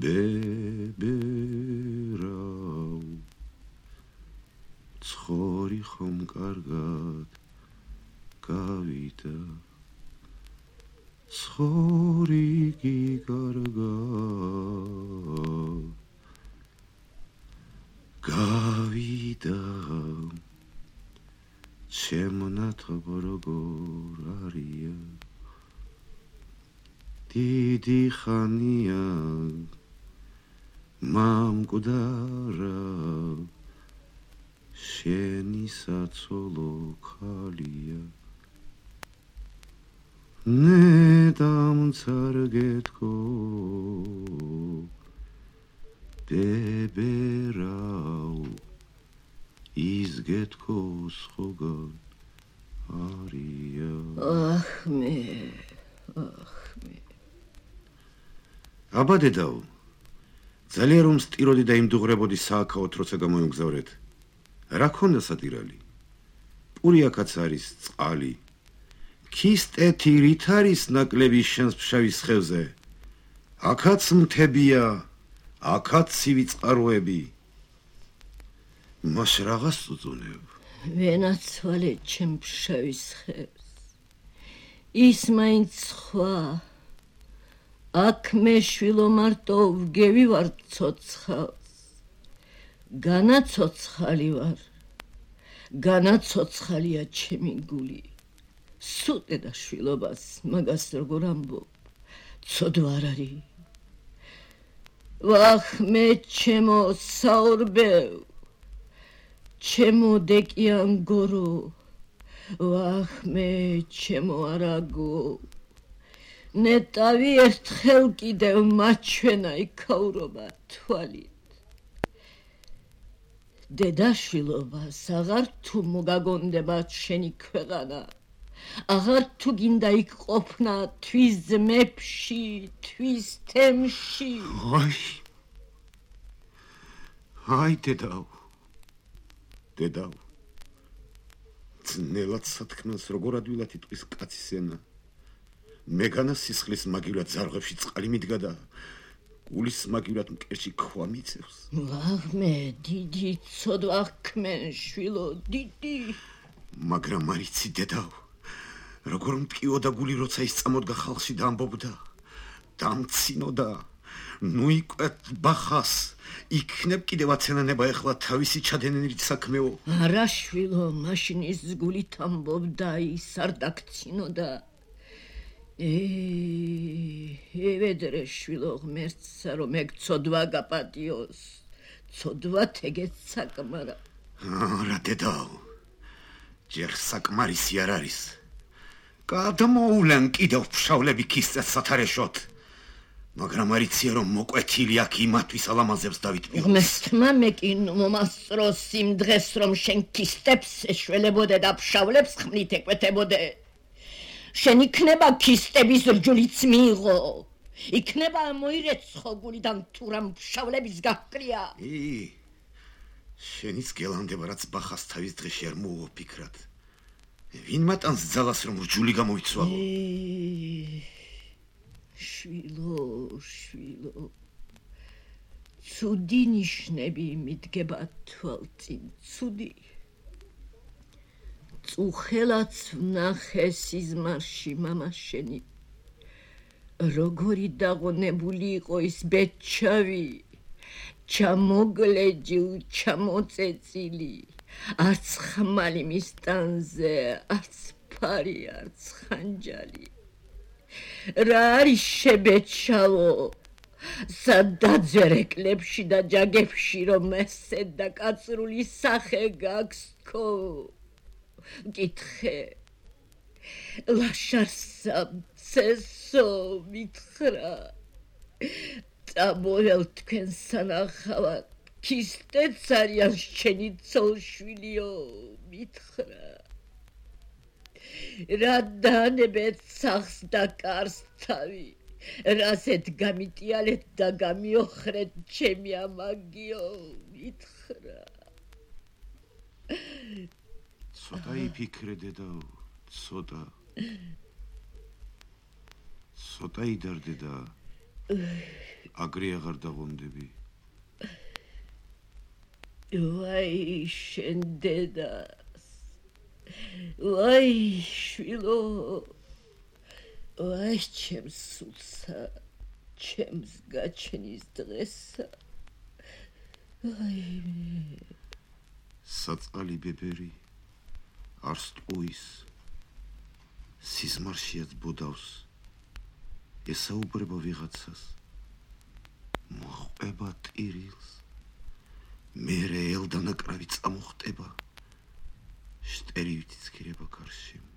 ბებერაო ცხორი ხომ კარგად გავიდა ცხორი კარგად გავიდა შემონათობ როგორ არია დიდი ხანია მამკვდარა შენი საცოლო ქალია ნედამცარგეთქო ბებერაო იზგეთქო სხვგან არია ახმე აბა დედაო ძალიან რომ სტიროდი და იმდუღრებოდი სააქაოთ როცა გამოიმგზავრეთ რა ქონდა სატირალი პურიაკაც არის წყალი ქისტეთი რით არის ნაკლები შენს ფშავის ხევზე აქაც მთებია აქაც ცივი წყაროები მას რაღაც უძუნებ ვენაცვალე ჩემ ფშავის ხევს ის მაინც სხვა აქ მე შვილო მარტო ვგევივარ ცოცხალს განაცოცხალი ვარ განაცოცხალია ჩემი გული სუდე და შვილობას მაგას როგორ ამბობ ცოდვა არ არის ვახ მე ჩემო საორბევ ჩემო დეკიან გორო ვახ მე ჩემო არაგო ნეტავი ერთხელ კიდევ მაჩვენა იქაურობა თვალით დედაშვილობას აღარ თუ მოგაგონდება შენი ქვეყანა აღარ თუ გინდა იქ ყოფნა თვის ძმებში თვის თემში აი დედაო ძნელად სათქმელს როგორ ადვილად იტყვის კაცის ენა მეგანა სისხლის მაგივრად ზარღვებში წყალი მიდგა და გულის მაგივრად მკერში ქვა მიწევს ვაღმე დიდი ცოდვა ქმენ შვილო დიდი მაგრამ არიცი დედაო როგორ მტკიოდა გული როცა ის წამოდგა ხალხში და ამბობდა დამცინოდა ნუ იკვეთ ბახას იქნებ კიდევ აცენანება ეხლა თავისი ჩადენილი საქმეო არა შვილო მაშინ ის გულით ამბობდა ის არ დაქცინოდა ევედრე შვილო ღმერთსა რომ ეგ ცოდვა გაპატიოს ცოდვა ეგეც საკმარა არა დედაო ჯერ საკმარისი არ არის გადმოულან კიდევ ფშავლები ქისწეს სათარეშოთ მაგრამ არიცია რომ მოკვეთილი აქ იმათვის ალამაზებს დავითმიოს ღმერთმა მე კი მომასწროს იმ დღეს რომ შენ ქისტებს ეშველებოდე და ფშავლებს ხმლით ეკვეთებოდე შენ იქნება ქისტების რჯულიც მიიღო იქნება მოირეცხო გულიდან თუ რამ ფშავლების გაჰკრია შენიც გელანდება რაც ბახას თავის დღეში არ მოუვაფიქრად ვინ მატანს ძალას რომ რჯული გამოიცვალო შვილო ცუდი ნიშნები მიდგება თვალწინ ცუდი წუხელაც ვნახე სიზმარში მამა შენი როგორი დაღონებული იყო ის ბეჩავი ჩამოგლეჯი ჩამოწეწილი არც ხმალი მის ტანზე არც ფარი არც ხანჯალი რა არის შებეჩავო სადაძერეკლებში და ჯაგებში რომ ესე და კაცრული სახე გაქვს თქო გითხე ლაშარსა ცესო მითხრა წამოვალ თქვენ სანახავად ქისტეც არიან შენი ცოლშვილიო მითხრა რა დაანებეთ სახს და კარს თავი რასეთ გამიტიალეთ და გამიოხრეთ ჩემი ამაგიო მითხრა ცოტა იფიქრე დედაო ცოტა ცოტა იდარდე და აგრე აღარ დაღვამდები. ვაი, შენ დედას. ვაი, შვილო. ვაი, ჩემს სულსა, ჩემს გაჩენის დღესა. ვაი. საწყალი ბებერი არ სტყუის. სიზმარშიაც ბოდავს. ესაუბრება ვიღაცას. მოყვება ტირილს. მერე ელდანაკრავი წამოხტება. შტერივით იცქირება გარშემო.